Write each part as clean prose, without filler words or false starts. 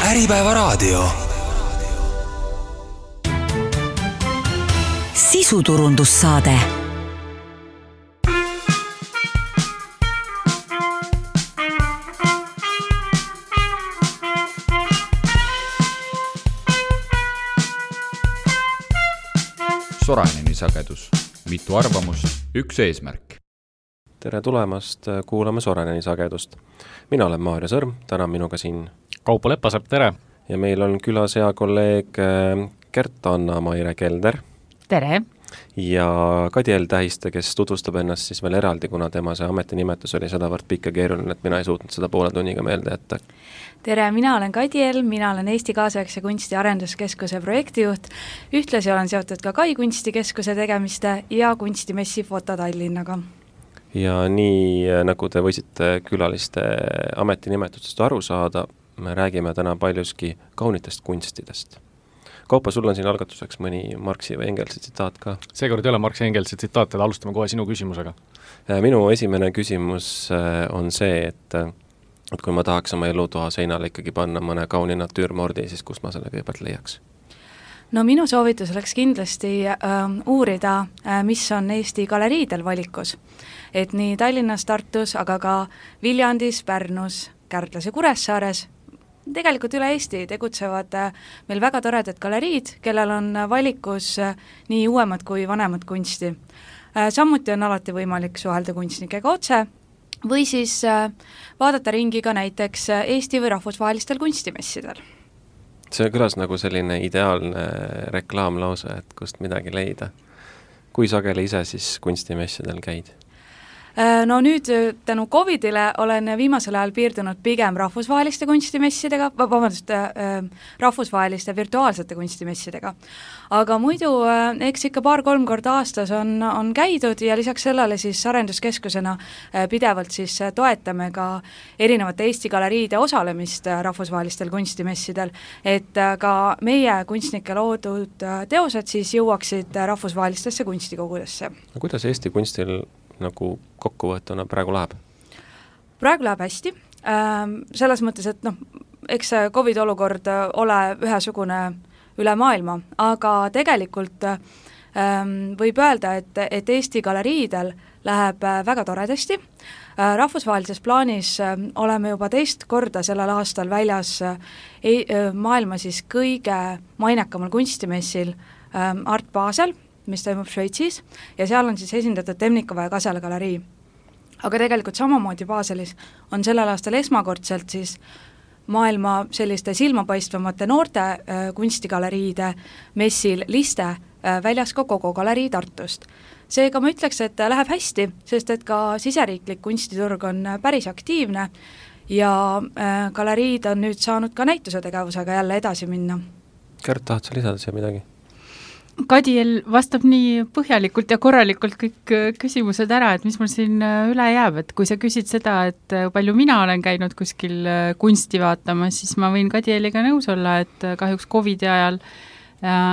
Äripäevaraadio. Sisuturundussaade. Soraineni sagedus. Mitu arvamust, üks eesmärk. Tere tulemast, kuulame Soraineni sagedust. Mina olen Maarja Sõrm, täna minuga siin Kaupo Leppasepp, tere! Ja meil on külas hea kolleeg Gert-Anna Maire Kelder. Tere! Ja Kadiel Tähiste, kes tutvustab ennast siis veel eraldi, kuna tema see ametinimetus oli sedavõrd pikk ja keeruline, et mina ei suutnud seda poole tunniga meelde jätta. Tere, mina olen Kadiel, mina olen Eesti Kaasaegse kunsti arenduskeskuse projektijuht, ühtlasi olen seotud ka Kai kunstikeskuse tegemiste ja kunstimessi Foto Tallinnaga. Ja nii, nagu te võisite külaliste ametinimetustest aru saada, me räägime täna paljuski kaunitest kunstidest. Kaupa, sul on siin algatuseks mõni Marxi või Engelsi tsitaat ka? Seekord ei ole Marxi Engelsi tsitaat, et alustame kohe sinu küsimusega. Minu esimene küsimus on see, et kui ma tahaks oma elutoa seinale ikkagi panna mõne kauni natüürmordi, siis kus ma selle kõigepealt leiaks? No minu soovitus oleks kindlasti uurida, mis on Eesti galeriidel valikus. Et nii Tallinnas, Tartus, aga ka Viljandis, Pärnus, Kärdlas ja Kuressaares, tegelikult üle Eesti tegutsevad meil väga toredad galeriid, kellel on valikus nii uuemad kui vanemad kunsti. Samuti on alati võimalik suhelda kunstnikega otse või siis vaadata ringi ka näiteks Eesti või rahvusvahelistel kunstimessidel. See kõlas nagu selline ideaalne reklaamlause, et kust midagi leida. Kui sageli ise siis kunstimessidel käid? No nüüd tänu COVIDile olen viimasel ajal piirdunud pigem rahvusvaheliste kunstimessidega, rahvusvaheliste virtuaalsete kunstimessidega. Aga muidu eks ikka 2-3 korda aastas on käidud ja lisaks sellele siis arenduskeskusena pidevalt siis toetame ka erinevate Eesti galeriide osalemist rahvusvahelistel kunstimessidel, et ka meie kunstnike loodud teosed siis jõuaksid rahvusvahelistesse kunstikogudesse. Kuidas Eesti kunstil nagu kokkuvõetuna praegu läheb? Praegu läheb hästi, selles mõttes, et eks COVID olukord ole ühesugune üle maailma, aga tegelikult võib öelda, et Eesti galeriidel läheb väga toredasti. Rahvusvahelises plaanis oleme juba 2 korda sellel aastal väljas maailma siis kõige mainekamal kunstimessil Art Basel, mis toimub Šveitsis, ja seal on siis esindatud Temnikova ja Kasela galerii. Aga tegelikult samamoodi Baselis on sellel aastal esmakordselt siis maailma selliste silmapaistvamate noorte kunstigaleriide messil Liste väljas ka Kogo galerii Tartust. Seega ma ütleks, et läheb hästi, sest et ka siseriiklik kunstiturg on päris aktiivne ja galeriid on nüüd saanud ka näituse tegevusega jälle edasi minna. Gert, tahad sa lisada siia midagi? Kadiel vastab nii põhjalikult ja korralikult kõik küsimused ära, et mis mul siin üle jääb, et kui sa küsid seda, et palju mina olen käinud kuskil kunsti vaatamas, siis ma võin Kadieliga nõus olla, et kahjuks COVID-i ajal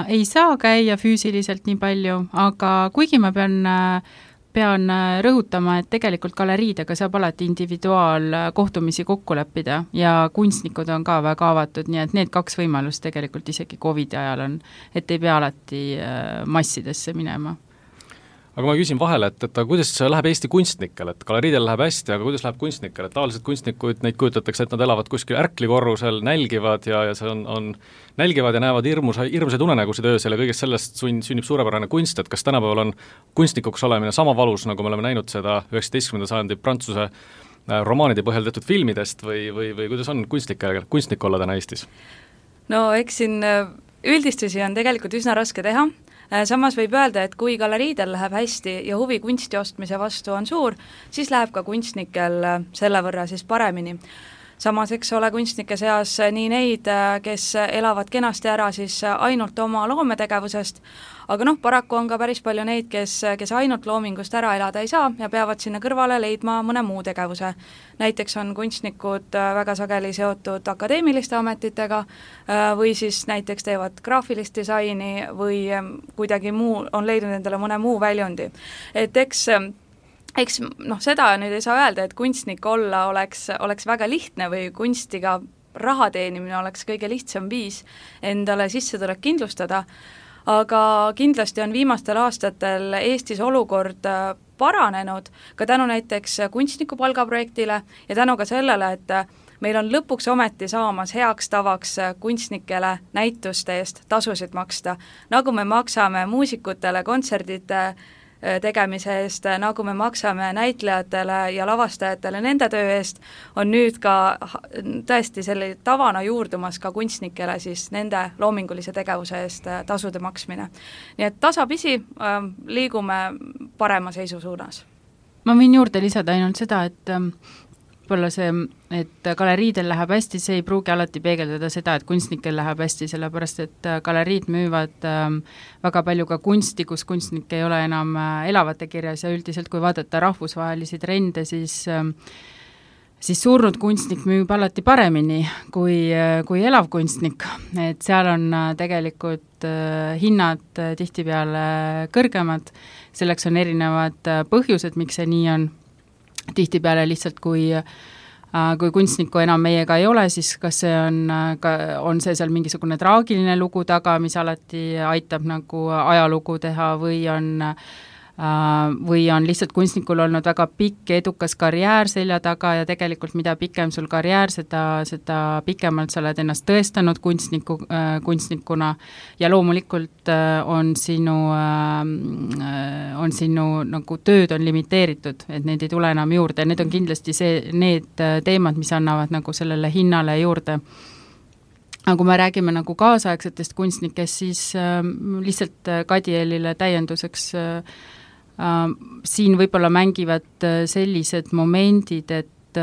ei saa käia füüsiliselt nii palju, aga kuigi ma pean rõhutama, et tegelikult galeriidega saab alati individuaalkohtumisi kokku leppida ja kunstnikud on ka väga avatud, nii et need 2 võimalust tegelikult isegi COVID-i ajal on, et ei pea alati massidesse minema. Aga ma küsin vahele, et kuidas läheb Eesti kunstnikel, et galeriidel läheb hästi, aga kuidas läheb kunstnikel, et tavaliselt kunstnikud, neid kujutatakse, et nad elavad kuskil ärklikorrusel, nälgivad ja see on nälgivad ja näevad hirmsaid unenägusid öösel ja kõigest sellest sünnib suurepärane kunst, et kas tänapäeval on kunstnikuks olemine sama valus, nagu me oleme näinud seda 19. sajandi Prantsuse romaanide põhjal tehtud filmidest või kuidas on kunstnik olla täna Eestis? No eks siin üldistusi on tegelikult üsna raske teha. Samas võib öelda, et kui galeriidel läheb hästi ja huvi kunsti ostmise vastu on suur, siis läheb ka kunstnikel selle võrra siis paremini. Samas eks ole kunstnike seas nii neid, kes elavad kenasti ära siis ainult oma loometegevusest, aga paraku on ka päris palju neid, kes ainult loomingust ära elada ei saa ja peavad sinna kõrvale leidma mõne muu tegevuse. Näiteks on kunstnikud väga sageli seotud akadeemiliste ametitega või siis näiteks teevad graafilist disaini või kuidagi muu, on leidnud endale mõne muu väljundi. Et eks seda nüüd ei saa öelda, et kunstnik olla oleks väga lihtne või kunstiga raha teenimine oleks kõige lihtsam viis endale sissetulek kindlustada, aga kindlasti on viimastel aastatel Eestis olukord paranenud ka tänu näiteks kunstniku palgaprojektile ja tänu ka sellele, et meil on lõpuks ometi saamas heaks tavaks kunstnikele näituste eest tasusid maksta, nagu me maksame muusikutele kontserdite tegemise eest, nagu me maksame näitlejatele ja lavastajatele nende töö eest, on nüüd ka tõesti selle tavana juurdumas ka kunstnikele siis nende loomingulise tegevuse eest tasude maksmine. Nii et tasapisi liigume parema seisu suunas. Ma võin juurde lisada ainult seda, et võib-olla see, et galeriidel läheb hästi, see ei pruugi alati peegeldada seda, et kunstnikel läheb hästi, sellepärast et galeriid müüvad väga palju ka kunsti, kus kunstnik ei ole enam elavate kirjas ja üldiselt, kui vaadata rahvusvahelisi trende, siis surnud kunstnik müüb alati paremini kui elav kunstnik, et seal on tegelikult hinnad tihtipeale kõrgemad, selleks on erinevad põhjused, miks see nii on. Tihtipeale lihtsalt, kui kunstniku enam meiega ei ole, siis kas see on see seal mingisugune traagiline lugu taga, mis alati aitab nagu ajalugu teha või on lihtsalt kunstnikul olnud väga pikk edukas karjäär selja taga ja tegelikult mida pikem sul karjäär, seda pikemalt sa oled ennast tõestanud kunstnikuna ja loomulikult on sinu nagu tööd on limiteeritud, et need ei tule enam juurde, need on kindlasti need teemad, mis annavad nagu sellele hinnale juurde. Aga kui me räägime nagu kaasaegsetest kunstnikest, siis lihtsalt Kadielile täienduseks siin võib-olla mängivad sellised momendid, et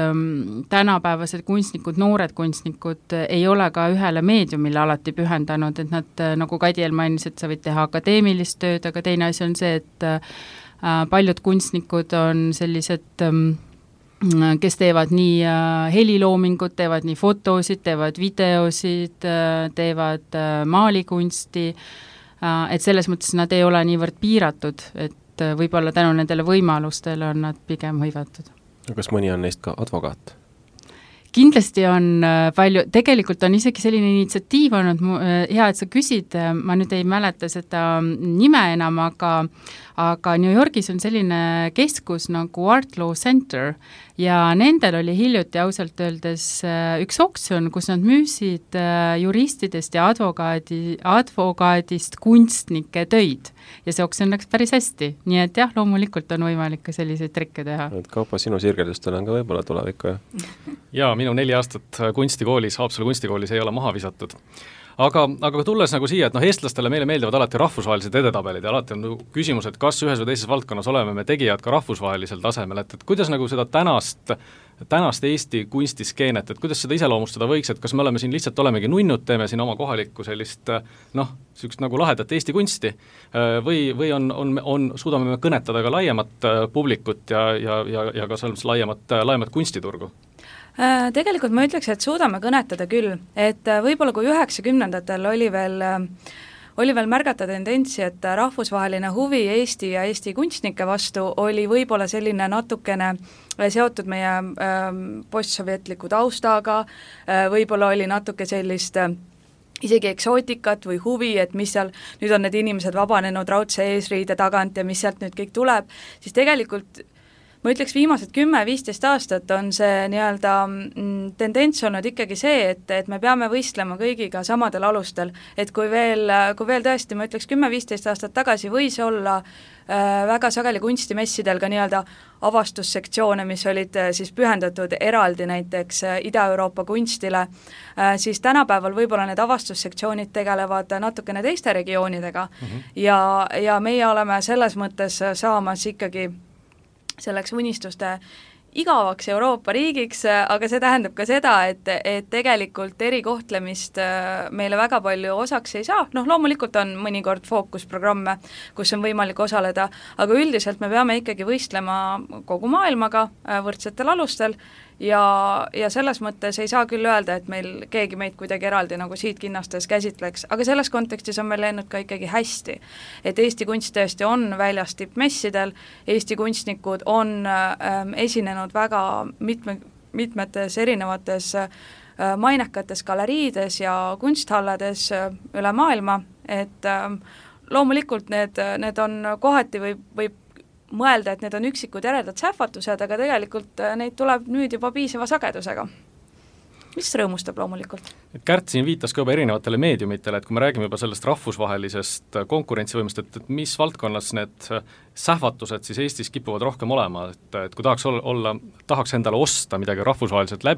tänapäevased kunstnikud, noored kunstnikud ei ole ka ühele meediumile alati pühendanud, et nad, nagu Kadiel mainis, et sa võid teha akadeemilist tööd, aga teine asi on see, et paljud kunstnikud on sellised kes teevad nii heliloomingut, teevad nii fotosid, teevad videosid, teevad maalikunsti, et selles mõttes nad ei ole niivõrd piiratud, et võib-olla tänu nendele võimalustele on nad pigem hõivatud. Kas mõni on neist ka advokaat? Kindlasti on palju, tegelikult on isegi selline initsiatiiv olnud, hea, et sa küsid, ma nüüd ei mäleta seda nime enam, aga New Yorgis on selline keskus nagu Art Law Center ja nendel oli hiljuti ausalt öeldes üks oksjon, kus nad müüsid juristidest ja advokaadist kunstnike töid ja see oksjon läks päris hästi, nii et jah, loomulikult on võimalik ka selliseid trikke teha. Kaupo, sinu sirgedustel on ka võib-olla tulevikku, jah? Jaa, minu 4 aastat kunstikoolis, Haapsalu kunstikoolis ei ole maha visatud. Aga tulles nagu siia, et eestlastele meile meeldivad alati rahvusvahelised edetabelid ja alati on küsimus, et kas ühes või teises valdkonnas oleme me tegijad ka rahvusvahelisel tasemel, et kuidas nagu seda tänast Eesti kunstiskeenet, et kuidas seda iseloomustada võiks, et kas me oleme siin lihtsalt olemegi nunnud, teeme siin oma kohalikku sellist sellist nagu lahedat Eesti kunsti või suudame me kõnetada ka laiemat publikut ja ka selles laiemat kunstiturgu? Tegelikult ma ütleks, et suudame kõnetada küll, et võib-olla kui 90-ndatel oli veel märgata tendentsi, et rahvusvaheline huvi Eesti ja Eesti kunstnike vastu oli võib-olla selline natukene seotud meie postsovjetliku taustaga, võib-olla oli natuke sellist isegi eksootikat või huvi, et mis seal, nüüd on need inimesed vabanenud raudse eesriide tagant ja mis sealt nüüd kõik tuleb, siis tegelikult ma ütleks, viimased 10-15 aastat on see nii-öelda tendents olnud ikkagi see, et me peame võistlema kõigiga samadel alustel, et kui veel tõesti, ma ütleks 10-15 aastat tagasi võis olla väga sageli kunstimessidel ka nii-öelda avastussektsioone, mis olid siis pühendatud eraldi näiteks Ida-Euroopa kunstile, siis tänapäeval võib-olla need avastussektsioonid tegelevad natukene teiste regioonidega ja meie oleme selles mõttes saamas ikkagi selleks unistuste igavaks Euroopa riigiks, aga see tähendab ka seda, et tegelikult erikohtlemist meile väga palju osaks ei saa, loomulikult on mõnikord fookusprogramme, kus on võimalik osaleda, aga üldiselt me peame ikkagi võistlema kogu maailmaga võrdsetel alustel ja selles mõttes ei saa küll öelda, et meil keegi meid kuidagi eraldi nagu siit kinnastes käsitleks, aga selles kontekstis on meil läinud ka ikkagi hästi. Et Eesti kunst tõesti on väljas tippmessidel, Eesti kunstnikud on esinenud väga mitmetes erinevates mainekates galeriides ja kunsthallades üle maailma, et loomulikult need on kohati võib mõelda, et need on üksikud järedad sähvatused, aga tegelikult neid tuleb nüüd juba piisava sagedusega, mis rõõmustab loomulikult. Et Kärt siin viitas ka juba erinevatele meediumitele, et kui me räägime juba sellest rahvusvahelisest konkurentsivõimest, et mis valdkonnas need sähvatused siis Eestis kipuvad rohkem olema, et kui tahaks endale osta midagi rahvusvaheliselt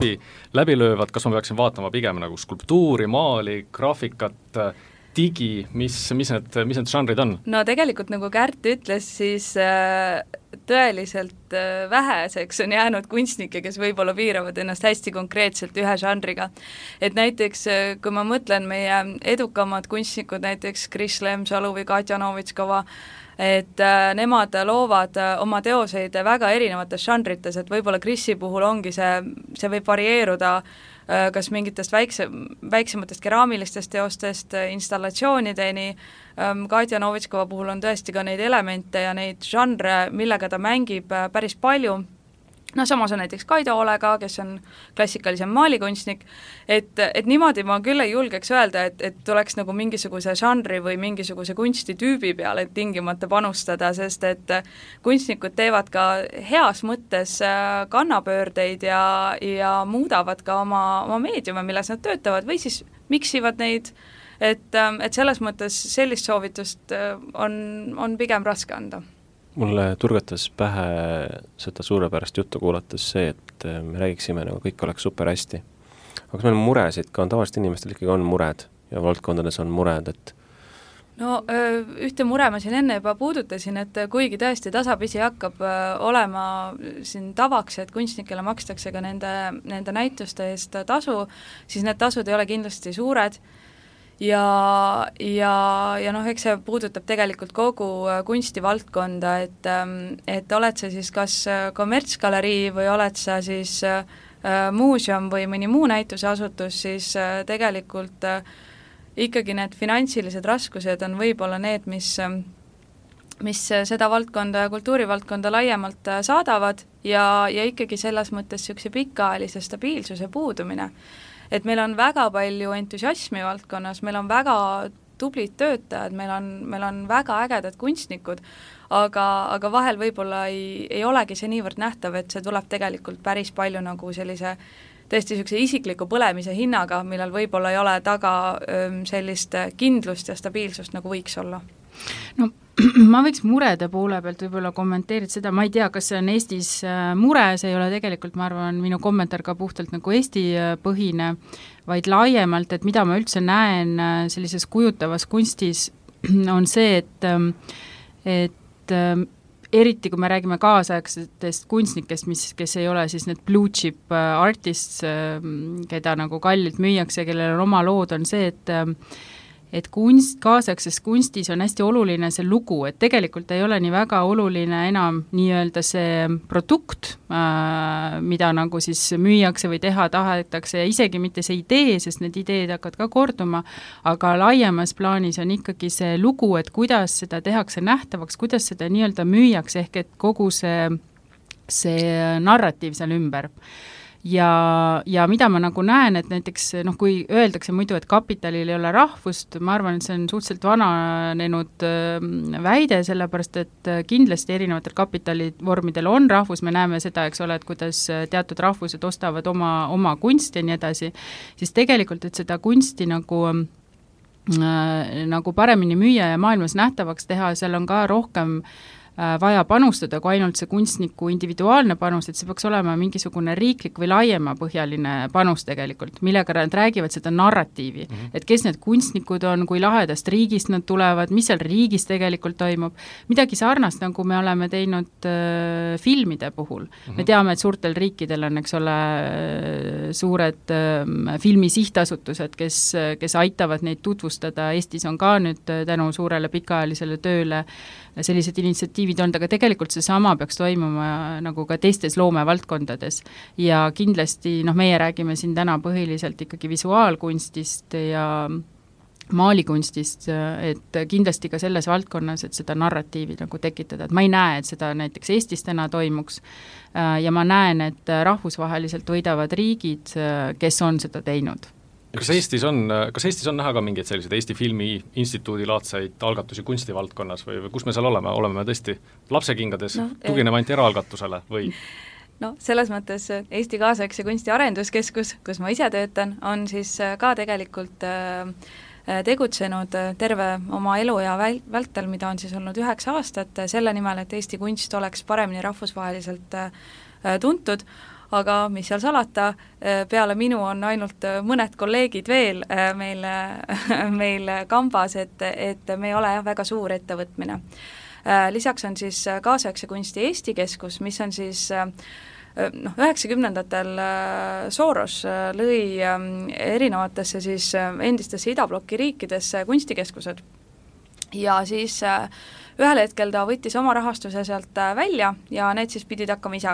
läbilöövad, kas ma peaksin vaatama pigem nagu skulptuuri, maali, graafikat, digi, mis need žanrid on? No tegelikult nagu Kärt ütles, siis tõeliselt väheseks on jäänud kunstnikke, kes võib-olla piiravad ennast hästi konkreetselt ühe žanriga. Et näiteks, kui ma mõtlen meie edukamad kunstnikud, näiteks Kris Lemsalu või Katja Novitskova, et nemad loovad oma teoseid väga erinevates žanrites, et võib-olla Krisi puhul ongi see võib varieeruda kas mingitest väiksematest keraamilistest teostest installatsioonideni. Katja Novitskova puhul on tõesti ka neid elemente ja neid žanre, millega ta mängib päris palju. No samas on näiteks Kaido Olega, kes on klassikalisem maalikunstnik, et niimoodi ma küll ei julgeks öelda, et tuleks nagu mingisuguse žanri või mingisuguse kunstitüübi peale tingimata panustada, sest et kunstnikud teevad ka heas mõttes kannapöördeid ja muudavad ka oma meediume, milles nad töötavad, või siis miksivad neid, et selles mõttes sellist soovitust on pigem raske anda. Mulle turgatas pähe seda suurepärast juttu kuulates see, et me räägiksime nagu kõik oleks super hästi. Aga kas meil on muresid, ka on tavaliselt inimestel ikkagi on mured ja valdkondades on mured, et No ühte mure ma siin enne juba puudutasin, et kuigi tõesti tasapisi hakkab olema siin tavaks, et kunstnikele makstakse ka nende näituste eest tasu, siis need tasud ei ole kindlasti suured ja noh, eks see puudutab tegelikult kogu kunstivaldkonda, et oled sa siis kas kommertsgalerii või oled sa siis muuseum või mõni muu näituseasutus, siis tegelikult ikkagi need finantsilised raskused on võib-olla need, mis seda valdkonda ja kultuurivaldkonda laiemalt saadavad ja ikkagi selles mõttes niisuguse pikaajalise stabiilsuse puudumine. Et meil on väga palju entusiasmi valdkonnas, meil on väga tublid töötajad, meil on väga ägedad kunstnikud, aga vahel võib-olla ei olegi see niivõrd nähtav, et see tuleb tegelikult päris palju nagu sellise tõesti niisuguse isikliku põlemise hinnaga, millel võib-olla ei ole taga sellist kindlust ja stabiilsust, nagu võiks olla. No ma võiks murede poole pealt võib-olla kommenteerida seda, ma ei tea, kas see on Eestis mure, see ei ole tegelikult, ma arvan, minu kommentaar ka puhtalt nagu Eesti põhine, vaid laiemalt, et mida ma üldse näen sellises kujutavas kunstis, on see, et eriti kui me räägime kaasaegsetest kunstnikest, kes ei ole siis need blue chip artists, keda nagu kallilt müüakse, kellel on oma lood, on see, et kaasaegses kunstis on hästi oluline see lugu, et tegelikult ei ole nii väga oluline enam nii-öelda see produkt, mida nagu siis müüakse või teha tahetakse ja isegi mitte see idee, sest need ideed hakkavad ka korduma, aga laiemas plaanis on ikkagi see lugu, et kuidas seda tehakse nähtavaks, kuidas seda nii-öelda müüakse, ehk et kogu see narratiiv seal ümber. Ja mida ma nagu näen, et näiteks kui öeldakse muidu, et kapitalil ei ole rahvust, ma arvan, et see on suhteliselt vananenud väide, sellepärast et kindlasti erinevatel kapitalivormidel on rahvus, me näeme seda, eks ole, et kuidas teatud rahvused ostavad oma kunsti ja nii edasi, siis tegelikult, et seda kunsti nagu paremini müüa ja maailmas nähtavaks teha, seal on ka rohkem vaja panustada, kui ainult see kunstniku individuaalne panus, et see peaks olema mingisugune riiklik või laiemapõhjaline panus tegelikult, millega nad räägivad seda narratiivi, et kes need kunstnikud on, kui lahedast riigist nad tulevad, mis seal riigis tegelikult toimub, midagi sarnast, nagu me oleme teinud filmide puhul. Me teame, et suurtel riikidel on, eks ole, suured filmisihtasutused, kes aitavad neid tutvustada, Eestis on ka nüüd tänu suurele pikaajalisele tööle sellised initsiatiivid on, aga tegelikult see sama peaks toimuma nagu ka teistes loomevaldkondades ja kindlasti, meie räägime siin täna põhiliselt ikkagi visuaalkunstist maalikunstist, et kindlasti ka selles valdkonnas, et seda narratiivi nagu tekitada, et ma ei näe, et seda näiteks Eestis täna toimuks ja ma näen, et rahvusvaheliselt võidavad riigid, kes on seda teinud. Kas Eestis on näha ka mingeid selliseid Eesti Filmi Instituudi laadseid algatusi kunstivaldkonnas või kus me seal oleme? Oleme me tõesti lapsekingades tuginema ainult eraalgatusele või? No selles mõttes Eesti Kaasaegse Kunsti Arenduskeskus, kus ma ise töötan, on siis ka tegelikult tegutsenud terve oma elu ja vältel, mida on siis olnud 9 aastat, selle nimel, et Eesti kunst oleks paremini rahvusvaheliselt tuntud, aga mis seal salata, peale minu on ainult mõned kolleegid veel meil kambas, et me ei ole väga suur ettevõtmine. Lisaks on siis Kaasaegse Kunsti Eesti Keskus, mis on siis 90-ndatel Soros lõi erinevatesse siis endistesse idabloki riikidesse kunstikeskused ja siis ühel hetkel ta võttis oma rahastuse sealt välja ja need siis pidid hakkama ise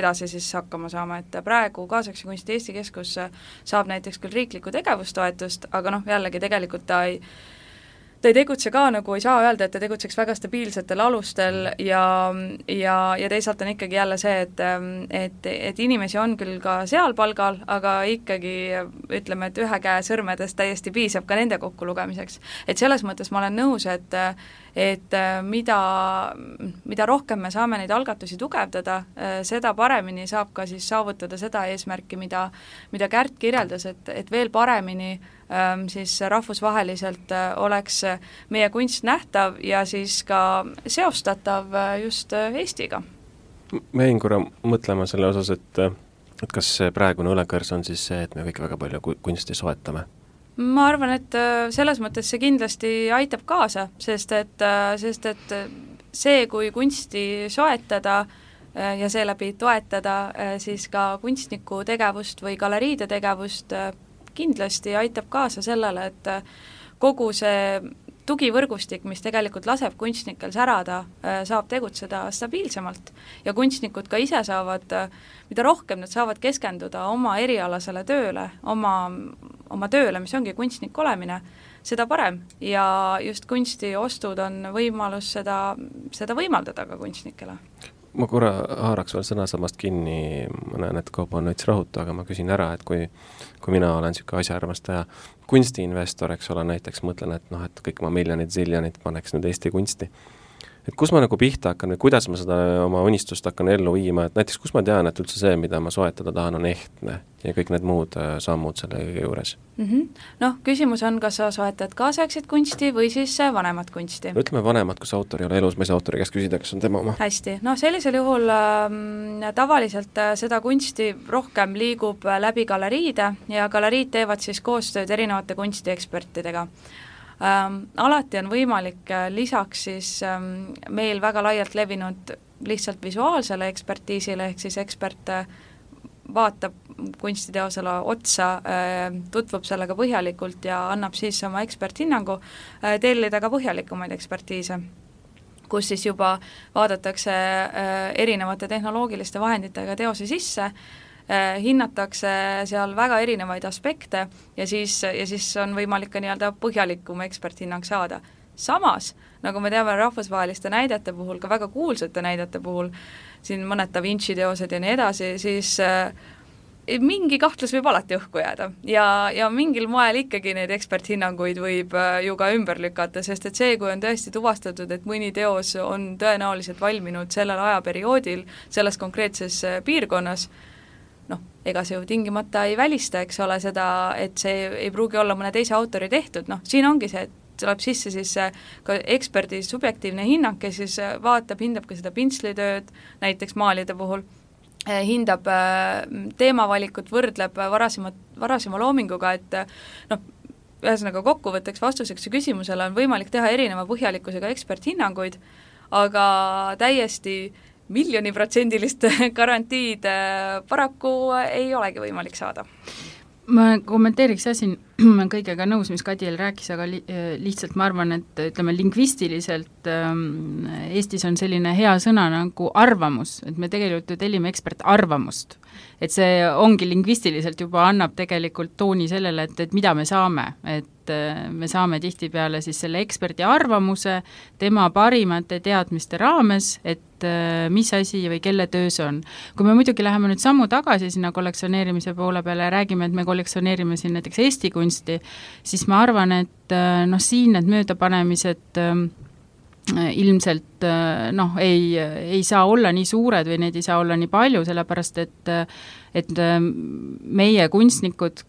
edasi siis hakkama saama, et praegu Kaasaegse Kunsti Eesti Keskus saab näiteks küll riiklikku tegevustoetust, aga jällegi tegelikult ta ei tegutse ka, nagu ei saa öelda, et ta tegutseks väga stabiilsetel alustel ja teisalt on ikkagi jälle see, et inimesi on küll ka seal palgal, aga ikkagi ütleme, et ühe käe sõrmedest täiesti piisab ka nende kokku lugemiseks. Et selles mõttes ma olen nõus, et mida rohkem me saame neid algatusi tugevdada, seda paremini saab ka siis saavutada seda eesmärki, mida Kärt kirjeldas, et veel paremini siis rahvusvaheliselt oleks meie kunst nähtav ja siis ka seostatav just Eestiga. Ma jäin korra mõtlema selle osas, et kas praegune õlekõrs on siis see, et me kõik väga palju kunsti soetame? Ma arvan, et selles mõttes see kindlasti aitab kaasa, sest et see, kui kunsti soetada ja seeläbi toetada siis ka kunstniku tegevust või galeriide tegevust, kindlasti aitab kaasa sellele, et kogu see tugivõrgustik, mis tegelikult laseb kunstnikel särada, saab tegutseda stabiilsemalt ja kunstnikud ka ise saavad, mida rohkem nad saavad keskenduda oma erialasele tööle, oma tööle, mis ongi kunstnik olemine, seda parem ja just kunstiostud on võimalus seda võimaldada ka kunstnikele. Ma korra haaraks veel sõnasamast kinni, ma näen, et Kaupo on veits rahutu, aga ma küsin ära, et kui mina olen niisugune asjaarmastaja, kunstiinvestor, eks ole, näiteks mõtlen, et kõik ma miljonid, ziljonid paneks nüüd Eesti kunsti. Et kus ma nagu pihta hakkan või kuidas ma seda oma unistust hakkan ellu viima, et näiteks kus ma tean, et üldse see, mida ma soetada tahan, on ehtne ja kõik need muud sammud selle juures? Küsimus on, kas sa soetad kaasaegset kunsti või siis vanemat kunsti? Ütleme vanemat, kus autor ei ole elus, ma ei saa autori käest küsida, kas on tema oma. Hästi, sellisel juhul tavaliselt seda kunsti rohkem liigub läbi galeriide ja galeriid teevad siis koostööd erinevate kunstiekspertidega. Alati on võimalik lisaks siis meil väga laialt levinud lihtsalt visuaalsele ekspertiisile, ehk siis ekspert vaatab kunstiteosele otsa, tutvub sellega põhjalikult ja annab siis oma eksperthinnangu, tellida ka põhjalikumaid ekspertiise, kus siis juba vaadatakse erinevate tehnoloogiliste vahenditega teose sisse, hinnatakse seal väga erinevaid aspekte ja siis on võimalik ka nii-öelda põhjalikum eksperthinnang saada. Samas, nagu me teame rahvusvaheliste näidete puhul, ka väga kuulsate näidete puhul, siin mõned Da Vinci teosed ja nii edasi, siis mingi kahtlus võib alati õhku jääda ja mingil moel ikkagi neid eksperthinnanguid võib ju ka ümber lükata, sest et see, kui on tõesti tuvastatud, et mõni teos on tõenäoliselt valminud sellel ajaperioodil selles konkreetses piirkonnas, ega see ju tingimata ei välista, eks ole, seda, et see ei pruugi olla mõne teise autori tehtud, siin ongi see, et tuleb sisse siis ka eksperdi subjektiivne hinnang, kes siis hindab ka seda pintslitööd, näiteks maalide puhul, hindab teemavalikut, võrdleb varasema loominguga, et ühesõnaga kokkuvõtteks vastuseks küsimusele on võimalik teha erineva põhjalikkusega eksperthinnanguid, aga täiesti miljoniprotsendilist garantiid paraku ei olegi võimalik saada. ma kommenteeriks siin kõigega nõus, mis Kadiel rääkis, aga lihtsalt ma arvan, et ütleme lingvistiliselt Eestis on selline hea sõna nagu arvamus, et me tegelikult ju tellime ekspertarvamust. Et see ongi lingvistiliselt juba annab tegelikult tooni sellele, et mida me saame, et me saame tihtipeale siis selle eksperdi arvamuse tema parimate teadmiste raames, et mis asi või kelle töö see on. Kui me muidugi läheme nüüd sammu tagasi sinna kollektsioneerimise poole peale ja räägime, et me kollektsioneerime siin näiteks Eesti kunsti, siis ma arvan, et siin need möödapanemised ilmselt ei saa olla nii suured või neid ei saa olla nii palju, sellepärast et meie kunstnikud,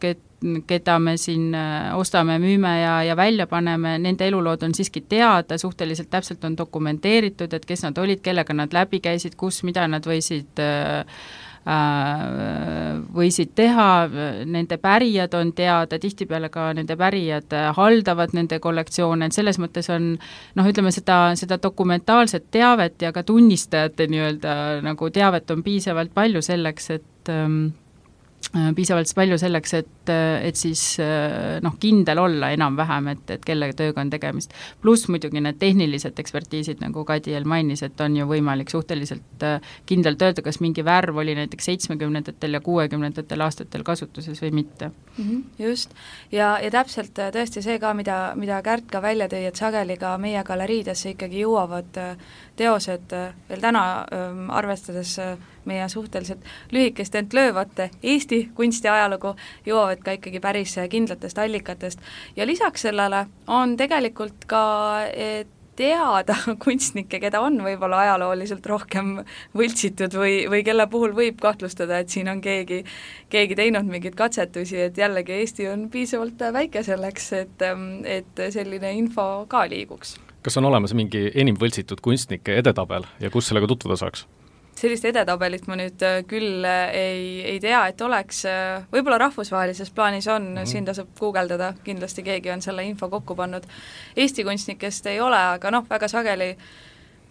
keda me siin ostame, müüme ja välja paneme, nende elulood on siiski teada, suhteliselt täpselt on dokumenteeritud, et kes nad olid, kellega nad läbi käisid, kus, mida nad võisid teha, nende pärijad on teada, tihtipeale ka nende pärijad haldavad nende kollektsioone, et selles mõttes on ütleme seda dokumentaalset teavet ja ka tunnistajate nii-öelda nagu teavet on piisavalt palju selleks, et siis kindel olla enam-vähem, et kelle tööga on tegemist. Pluss muidugi need tehnilised ekspertiisid, nagu Kadiel mainis, et on ju võimalik suhteliselt kindlalt öelda, kas mingi värv oli näiteks 70-ndatel ja 60-ndatel aastatel kasutuses või mitte. Just, ja täpselt tõesti see ka, mida Kärt ka välja tõi, et sageli ka meie galeriidesse ikkagi jõuavad teosed veel täna, arvestades meie suhteliselt lühikest ent löövate Eesti kunstiajalugu, jõuavad ka ikkagi päris kindlatest allikatest. Ja lisaks sellele on tegelikult ka teada kunstnikke, keda on võib-olla ajalooliselt rohkem võltsitud või kelle puhul võib kahtlustada, et siin on keegi teinud mingeid katsetusi, et jällegi Eesti on piisavalt väike selleks, et selline info ka liiguks. Kas on olemas mingi enim võltsitud kunstnike edetabel ja kus sellega tutvuda saaks? Sellist edetabelit ma nüüd küll ei tea, et oleks, võib-olla rahvusvahelises plaanis on, siin tasub guugeldada, kindlasti keegi on selle info kokku pannud. Eesti kunstnikest ei ole, aga väga sageli,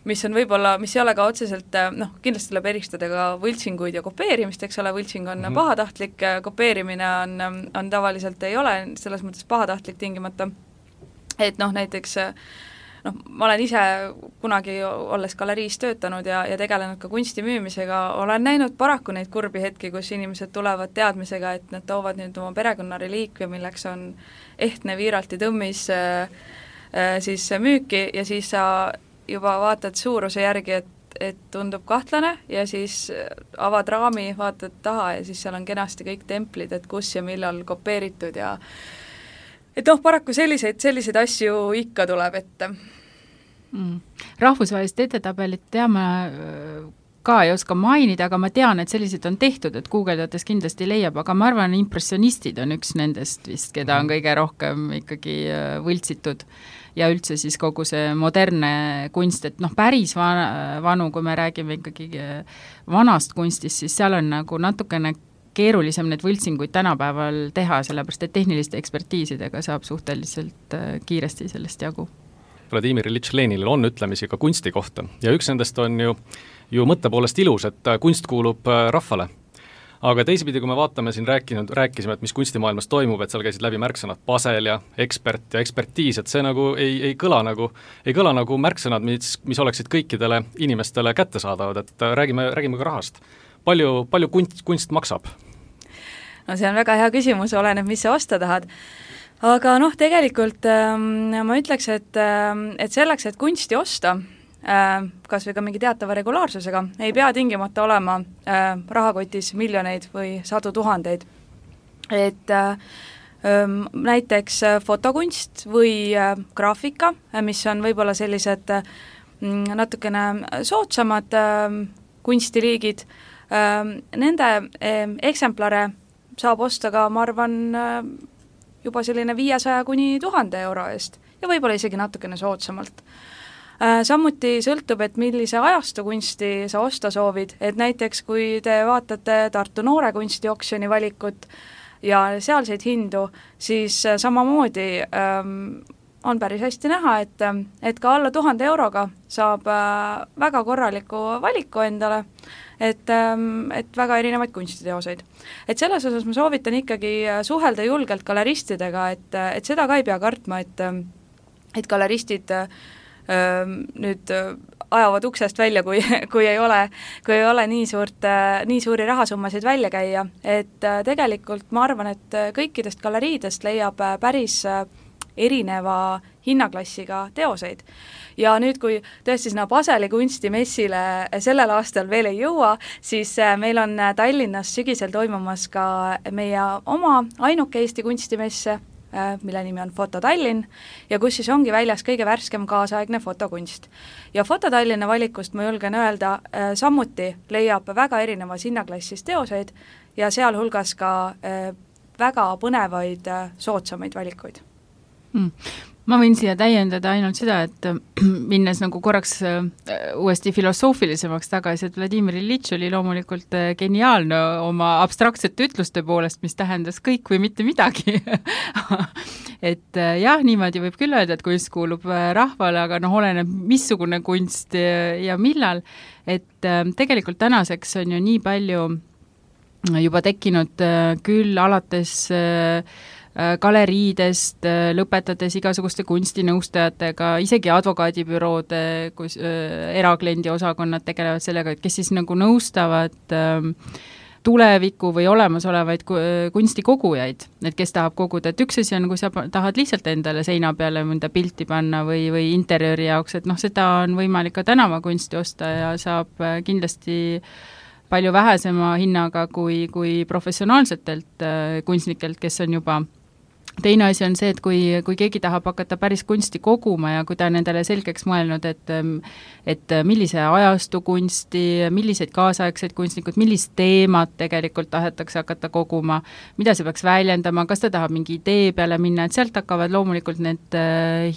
mis ei ole ka otseselt, kindlasti tuleb eristada ka võltsinguid ja kopeerimist, eks ole, võltsing on pahatahtlik, kopeerimine on tavaliselt ei ole, selles mõttes pahatahtlik tingimata, et näiteks ma olen ise kunagi olles galeriis töötanud ja tegelenud ka kunsti müümisega, olen näinud paraku neid kurbi hetki, kus inimesed tulevad teadmisega, et nad toovad nüüd oma perekonnareliikvia, milleks on ehtne viiralti tõmmis siis müüki ja siis sa juba vaatad suuruse järgi, et tundub kahtlane ja siis avad raami, vaatad taha ja siis seal on kenasti kõik templid, et kus ja millal kopeeritud ja et paraku selliseid asju ikka tuleb ette. Rahvusvahelist edetabelit teame ka ei oska mainida, aga ma tean, et sellised on tehtud, et guugeldades kindlasti leiab, aga ma arvan, impressionistid on üks nendest vist, keda on kõige rohkem ikkagi võltsitud ja üldse siis kogu see modernne kunst, et päris vanu, kui me räägime ikkagi vanast kunstist, siis seal on nagu natukene keerulisem need võltsinguid tänapäeval teha, sellepärast et tehniliste ekspertiisidega saab suhteliselt kiiresti sellest jagu. Vladimir Iljitš Leninil on ütlemisi ka kunsti kohta ja üks nendest on ju mõtte poolest ilus, et kunst kuulub rahvale. Aga teisipidi, kui me vaatame siin rääkisime, et mis kunstimaailmas toimub, et seal käisid läbi märksõnad pasel ja ekspert ja ekspertiis, et see nagu ei kõla nagu märksõnad, mis oleksid kõikidele inimestele kättesaadavad, et räägime ka rahast. Palju kunst maksab? No see on väga hea küsimus, oleneb, mis sa osta tahad. Aga tegelikult ma ütleks, et selleks, et kunsti osta, kas või ka mingi teatava regulaarsusega, ei pea tingimata olema rahakotis miljoneid või sadu tuhandeid. Et näiteks fotokunst või graafika, mis on võib-olla sellised natukene soodsamad kunstiliigid, nende eksemplare saab osta ka, ma arvan, juba selline 500 kuni 1000 euro eest ja võib-olla isegi natukene soodsamalt. Samuti sõltub, et millise ajastu kunsti sa osta soovid, et näiteks kui te vaatate Tartu Noore kunstioksjoni valikut ja sealseid hindu, siis samamoodi on päris hästi näha, et ka alla 1000 euroga saab väga korraliku valiku endale, et väga erinevaid kunstiteoseid. Et selles osas ma soovitan ikkagi suhelda julgelt galeristidega, et seda ka ei pea kartma, et galeristid nüüd ajavad uksest välja, kui ei ole nii suuri rahasummasid välja käia, et tegelikult ma arvan, et kõikidest galeriidest leiab päris erineva hinnaklassiga teoseid. Ja nüüd, kui tõesti sinna Paseli kunstimessile sellel aastal veel ei jõua, siis meil on Tallinnas sügisel toimumas ka meie oma ainuke Eesti kunstimesse, mille nimi on Foto Tallinn ja kus siis ongi väljas kõige värskem kaasaegne fotokunst. Ja Foto Tallinna valikust ma julgen öelda, samuti leiab väga erinevas hinnaklassis teoseid ja sealhulgas ka väga põnevaid soodsamaid valikuid. Ma võin siia täiendada ainult seda, et minnes nagu korraks uuesti filosoofilisemaks tagasi, et Vladimir Ilitš oli loomulikult geniaalne oma abstraktsete ütluste poolest, mis tähendas kõik või mitte midagi. Et jah, niimoodi võib küll öelda, et kunst kuulub rahvale, aga oleneb missugune kunst ja millal. Et tegelikult tänaseks on ju nii palju juba tekkinud küll alates galeriidest, lõpetades igasuguste kunstinõustajatega, isegi advokaadibüroode, kus erakliendi osakonnad tegelevad sellega, et kes siis nagu nõustavad tuleviku või olemasolevaid kunstikogujaid, et kes tahab koguda, et üks asi on, kui sa tahad lihtsalt endale seina peale mõnda pilti panna või interjööri jaoks, et seda on võimalik ka tänavakunsti osta ja saab kindlasti palju vähesema hinnaga kui professionaalsetelt kunstnikelt, kes on juba. Teine asi on see, et kui keegi tahab hakata päris kunsti koguma ja kui ta on endale selgeks mõelnud, et millise ajastu kunsti, milliseid kaasaegseid kunstnikud, millist teemat tegelikult tahetakse hakata koguma, mida see peaks väljendama, kas ta tahab mingi idee peale minna, et sealt hakkavad loomulikult need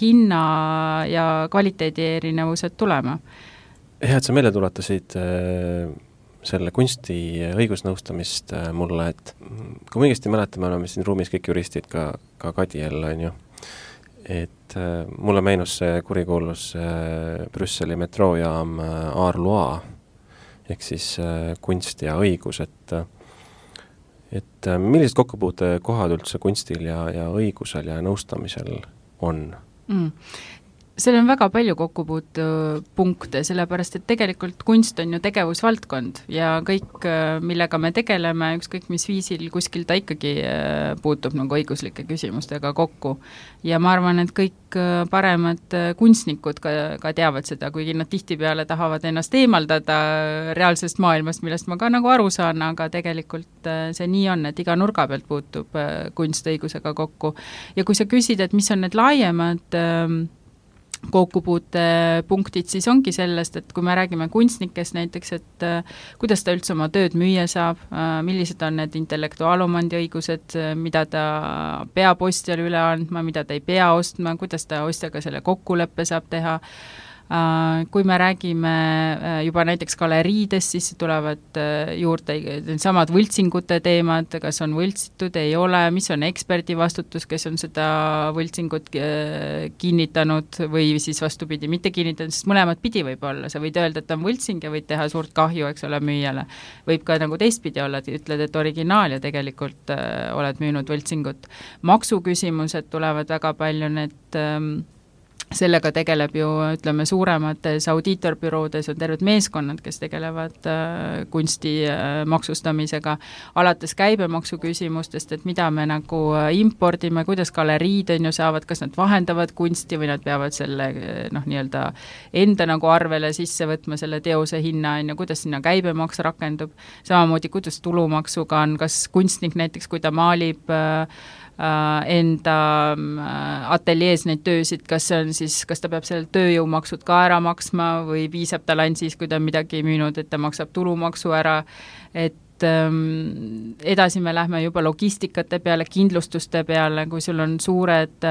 hinna ja kvaliteedi erinevused tulema. Hea, et sa meelde tuletasid selle kunsti õigusnõustamist mulle, et kui ma õigesti mäletan, me oleme siin ruumis kõik juristid, ka Kadiel on ju, et mulle meenus see kurikuulus Brüsseli metroojaam Arlois, ehk siis kunst ja õigus, et millised kokkupuutekohad üldse kunstil ja õigusel ja nõustamisel on? Seal on väga palju kokkupuutepunkte, sellepärast et tegelikult kunst on ju tegevusvaldkond ja kõik, millega me tegeleme, ükskõik mis viisil kuskil ta ikkagi puutub nagu õiguslike küsimustega kokku. Ja ma arvan, et kõik paremad kunstnikud ka teavad seda, kuigi nad tihtipeale tahavad ennast eemaldada reaalsest maailmast, millest ma ka nagu aru saan, aga tegelikult see nii on, et iga nurga pealt puutub kunst õigusega kokku. Ja kui sa küsid, et mis on need laiemad kokkupuutepunktid, siis ongi sellest, et kui me räägime kunstnikest näiteks, et kuidas ta üldse oma tööd müüa saab, millised on need intellektuaalomandi õigused, mida ta peab ostjale üle andma, mida ta ei pea ostma, kuidas ta ostjaga selle kokkuleppe saab teha. Kui me räägime juba näiteks galeriidest, siis tulevad juurde samad võltsingute teemad, kas on võltsitud, ei ole, mis on eksperdi vastutus, kes on seda võltsingut kinnitanud või siis vastupidi mitte kinnitanud, sest mõlemad pidi võib olla, sa võid öelda, et on võltsing ja võid teha suurt kahju, eks ole, müüjale. Võib ka nagu teistpidi olla, et ütled, et originaal ja tegelikult oled müünud võltsingut. Maksuküsimused tulevad väga palju, need sellega tegeleb ju, ütleme, suuremates audiitorbüroodes on terved meeskonnad, kes tegelevad kunsti maksustamisega, alates käibemaksu küsimustest, et mida me nagu impordime, kuidas galeriid on ju saavad, kas nad vahendavad kunsti või nad peavad selle nii-öelda enda nagu arvele sisse võtma selle teose hinna, kuidas sinna käibemaks rakendub, samamoodi kuidas tulumaksuga on, kas kunstnik näiteks, kui ta maalib enda ateljees neid töösid, kas ta peab seal tööjõumaksud ka ära maksma või piisab tal ainult siis, kui ta on midagi müünud, et ta maksab tulumaksu ära, et edasi me lähme juba logistikate peale, kindlustuste peale, kui sul on suured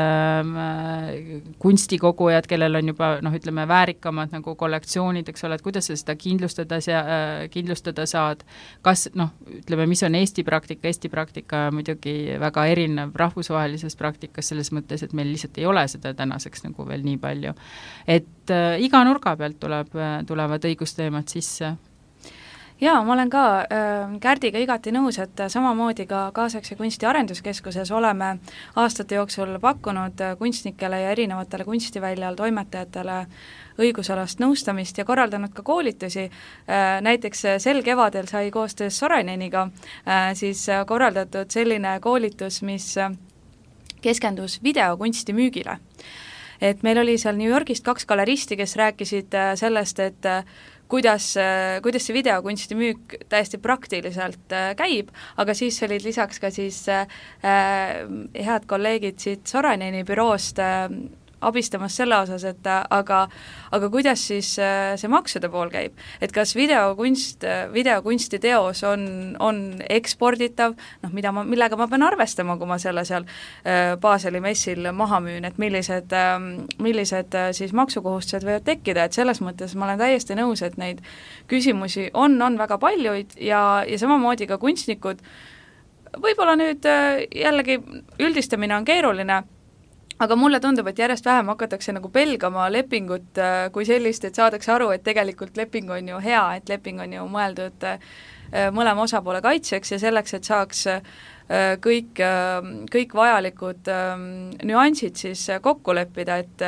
kunstikogujad, kellel on juba ütleme väärikamad nagu kollektsioonid, eks ole, et kuidas sa seda kindlustada saad, kas ütleme, mis on Eesti praktika muidugi väga erinev rahvusvahelises praktikas selles mõttes, et meil lihtsalt ei ole seda tänaseks nagu veel nii palju. Et iga nurga pealt tulevad õigusteemad sisse. Jaa, ma olen ka Kärdiga igati nõus, et samamoodi ka Kaasaegse kunsti arenduskeskuses oleme aastate jooksul pakkunud kunstnikele ja erinevatele kunstiväljal toimetajatele õigusalast nõustamist ja korraldanud ka koolitusi. Näiteks sel kevadel sai koostöös Soraineniga siis korraldatud selline koolitus, mis keskendus videokunsti müügile. Et meil oli seal New Yorgist 2 galeristi, kes rääkisid sellest, et kuidas see videokunsti müük täiesti praktiliselt käib, aga siis olid lisaks ka siis head kolleegid siit Soraineni büroost abistamas selle osas, et aga kuidas siis see maksude pool käib, et kas videokunsti teos on eksporditav, millega ma pean arvestama, kui ma selle seal Baseli messil maha müün, et millised siis maksukohustused võivad tekkida, et selles mõttes ma olen täiesti nõus, et neid küsimusi on väga paljuid ja samamoodi ka kunstnikud, võib-olla nüüd jällegi üldistamine on keeruline, aga mulle tundub, et järjest vähem hakatakse nagu pelgama lepingut kui sellist, et saadakse aru, et tegelikult leping on ju hea, et leping on ju mõeldud mõlema osapoole kaitseks ja selleks, et saaks kõik vajalikud nüansid siis kokku leppida, et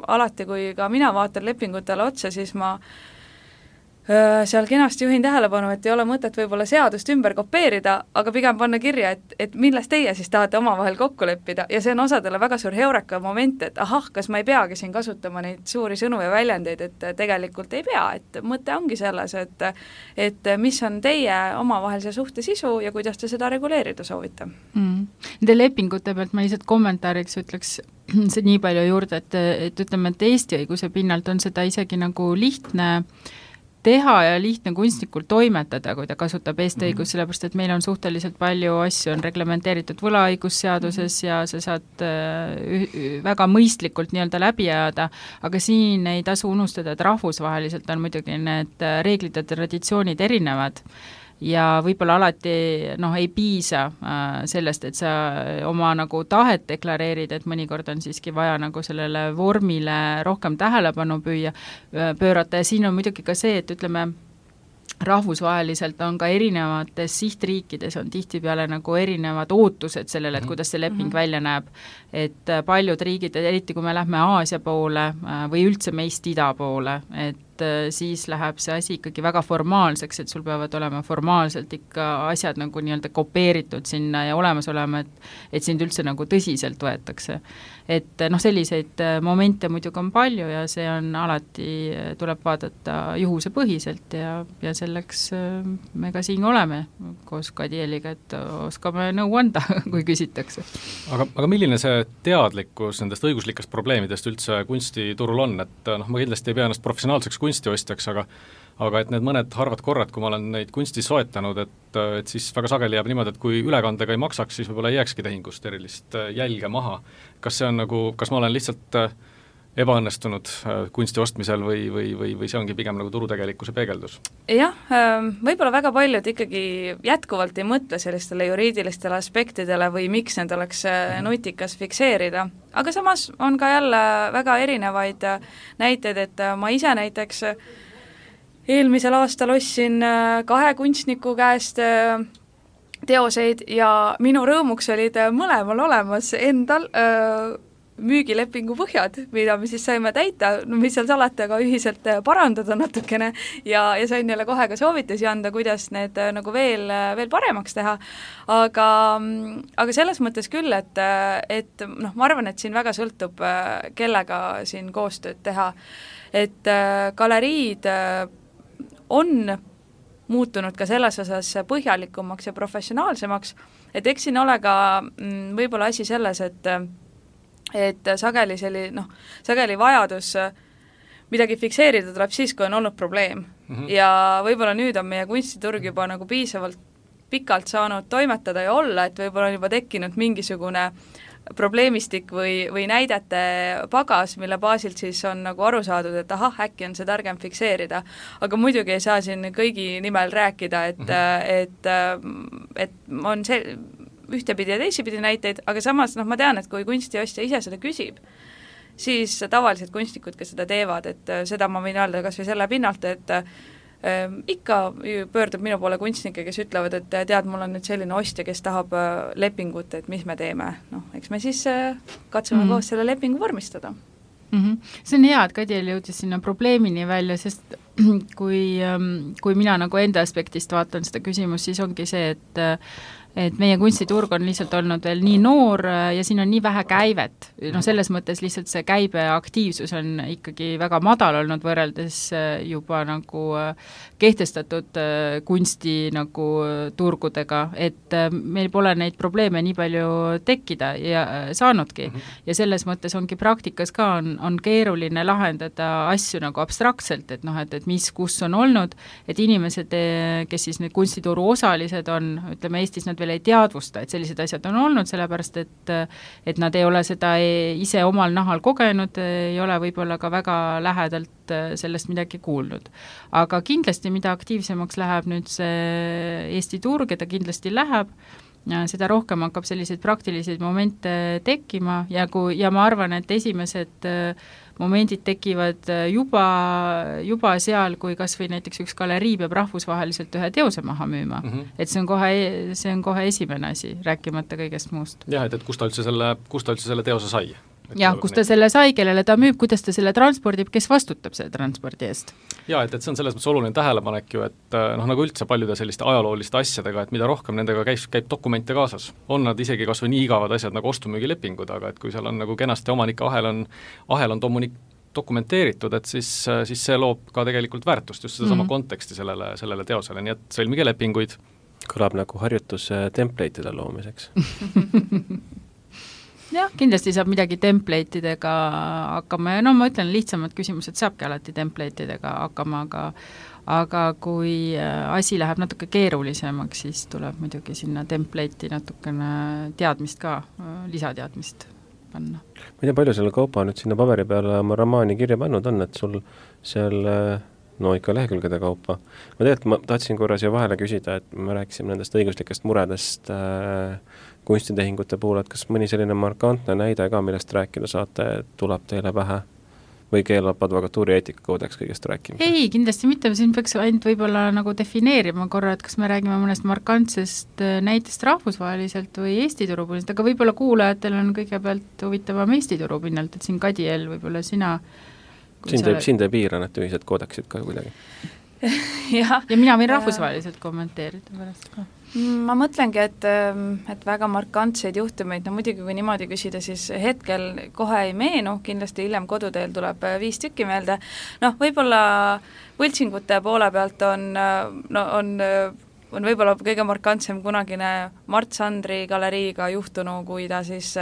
alati, kui ka mina vaatan lepingutele otsa, siis ma seal kenasti juhin tähelepanu, et ei ole mõtet võib-olla seadust ümber kopeerida, aga pigem panna kirja, et millest teie siis tahate omavahel kokku leppida ja see on osadele väga suur heureka moment, et kas ma ei peagi siin kasutama neid suuri sõnu ja väljendeid, et tegelikult ei pea, et mõte ongi selles, et mis on teie omavahelise suhte sisu ja kuidas te seda reguleerida soovite. Nende lepingute pealt ma lihtsalt kommentaariks ütleks see nii palju juurde, et ütleme, et Eesti õiguse pinnalt on seda isegi nagu lihtne teha ja lihtne kunstnikul toimetada, kui ta kasutab Eesti õigus, sellepärast et meil on suhteliselt palju asju, on reglementeeritud võlaõigusseaduses ja sa saad väga mõistlikult nii-öelda läbi ajada, aga siin ei tasu unustada, et rahvusvaheliselt on muidugi need reeglid ja traditsioonid erinevad ja võib-olla alati ei piisa sellest, et sa oma nagu tahet deklareerid, et mõnikord on siiski vaja nagu sellele vormile rohkem tähelepanu pöörata ja siin on muidugi ka see, et ütleme, rahvusvaheliselt on ka erinevates sihtriikides on tihtipeale nagu erinevad ootused sellele, et kuidas see leping välja näeb, et paljud riigid, eriti kui me lähme Aasia poole või üldse meist ida poole, et siis läheb see asi ikkagi väga formaalseks, et sul peavad olema formaalselt ikka asjad nagu nii-öelda kopeeritud sinna ja olemas olema, et sind üldse nagu tõsiselt võetakse. Et selliseid momente muidugi on palju ja see on alati, tuleb vaadata juhuse põhiselt ja selleks me ka siin oleme koos Kadieliga, et oskame nõu anda, kui küsitakse. Aga milline see teadlikkus nendest õiguslikest probleemidest üldse kunstiturul on, et ma kindlasti ei pea ennast professionaalseks kunstiostjaks, aga et need mõned harvad korrad, kui ma olen neid kunsti soetanud, et siis väga sageli jääb niimoodi, et kui ülekandega ei maksaks, siis võib-olla ei jääkski tehingust erilist jälge maha. Kas see on nagu, kas ma olen lihtsalt ebaõnnestunud kunsti ostmisel või see ongi pigem nagu turutegelikkuse peegeldus? Jah, võib-olla väga paljud ikkagi jätkuvalt ei mõtle sellistele juriidilistele aspektidele või miks need oleks nutikas fikseerida. Aga samas on ka jälle väga erinevaid näiteid, et ma ise näiteks eelmisel aastal ostsin 2 kunstniku käest teoseid ja minu rõõmuks olid mõlemal olemas endal müügilepingu põhjad, mida me siis saime täita, mis seal salata, aga ühiselt parandada natukene ja sain neile kohe ka soovitusi anda, kuidas need nagu veel paremaks teha. Aga selles mõttes küll, et ma arvan, et siin väga sõltub, kellega siin koostööd teha. Et galeriid on muutunud ka selles osas põhjalikumaks ja professionaalsemaks, et eks siin ole ka võib-olla asi selles, et sageli vajadus midagi fikseerida tuleb siis, kui on olnud probleem. Ja võib-olla nüüd on meie kunstiturg juba nagu piisavalt pikalt saanud toimetada ja olla, et võib-olla on juba tekkinud mingisugune probleemistik või näidete pagas, mille baasilt siis on nagu aru saadud, et ahah, äkki on see targem fikseerida. Aga muidugi ei saa siin kõigi nimel rääkida, et on see ühtepidi ja teisipidi näiteid, aga samas ma tean, et kui kunstiostja ise seda küsib, siis tavalised kunstnikud, kes seda teevad, et seda ma võin öelda kas või selle pinnalt, et ikka pöördub minu poole kunstnikke, kes ütlevad, et tead, mul on nüüd selline ostja, kes tahab lepingut, et mis me teeme. Eks me siis katsume koos selle lepingu vormistada. See on hea, et Kadiel jõudis sinna probleemini välja, sest kui mina nagu enda aspektist vaatan seda küsimust, siis ongi see, et meie kunstiturg on lihtsalt olnud veel nii noor ja siin on nii vähe käivet. Selles mõttes lihtsalt see käibeaktiivsus on ikkagi väga madal olnud võrreldes juba nagu kehtestatud kunsti nagu turgudega, et meil pole neid probleeme nii palju tekkida ja saanudki. Ja selles mõttes ongi praktikas ka on keeruline lahendada asju nagu abstraktselt, et et mis, kus on olnud, et inimesed, kes siis need kunstituru osalised on, ütleme Eestis nad veel ei teadvusta, et sellised asjad on olnud, sellepärast et nad ei ole seda ise omal nahal kogenud, ei ole võib-olla ka väga lähedalt sellest midagi kuulnud. Aga kindlasti, mida aktiivsemaks läheb nüüd see Eesti turg, ja ta kindlasti läheb, seda rohkem hakkab selliseid praktilisi momente tekkima ja ma arvan, et esimesed momendid tekivad juba seal, kui kas või näiteks üks galerii peab rahvusvaheliselt ühe teose maha müüma. Et see on kohe esimene asi, rääkimata kõigest muust. Jah, et kust ta üldse selle teose sai? Jah, kus ta selle sai, kellele ta müüb, kuidas ta selle transpordib, kes vastutab selle transpordi eest? Jaa, et see on selles mõttes oluline tähelepanek ju, et nagu üldse paljude selliste ajalooliste asjadega, et mida rohkem nendega käib dokumente kaasas. On nad isegi kas või nii igavad asjad nagu ostumüügilepingud, aga et kui seal on nagu kenasti omanike ahel on dokumenteeritud, et siis see loob ka tegelikult väärtust, just sedasama konteksti sellele teosele, nii et sõlmige lepinguid. Kõlab nagu harjutus template'ide loomiseks. Jah, kindlasti saab midagi template'idega hakkama ja ma ütlen, lihtsamad küsimused saabki alati template'idega hakkama, aga kui asi läheb natuke keerulisemaks, siis tuleb muidugi sinna template'i natukene teadmist ka, lisateadmist panna. Ma ei tea, palju selle kaupa nüüd sinna paberi peale oma romaani kirja pannud on, et sul seal ikka lehekülgede kaupa. Ma tahtsin korras ju vahele küsida, et me rääkisime nendest õiguslikest muredest kunstitehingute puhul, et kas mõni selline markantne näide ka, millest rääkida saate, tuleb teile pähe või keelab advokatuuri eetikakoodeks kõigest rääkimist? Ei, kindlasti mitte, siin peaks ainult võib-olla nagu defineerima korra, et kas me räägime mõnest markantsest näitest rahvusvaheliselt või Eesti turu pinnalt, aga võib-olla kuulajatel on kõigepealt huvitavam Eesti turu pinnalt, et siin Kadiel võib-olla sina Sind ei piira need ühised koodeksid ka kuidagi. ja mina võin rahvusvaheliselt kommenteerida pärast ka. Ma mõtlengi, et väga markantseid juhtumeid, muidugi kui niimoodi küsida, siis hetkel kohe ei meenu, kindlasti hiljem koduteel tuleb 5 tükki meelde. Võib-olla võltsingute poole pealt on võib-olla kõige markantsem kunagine Mart Sandri galeriiga juhtunu, kui ta siis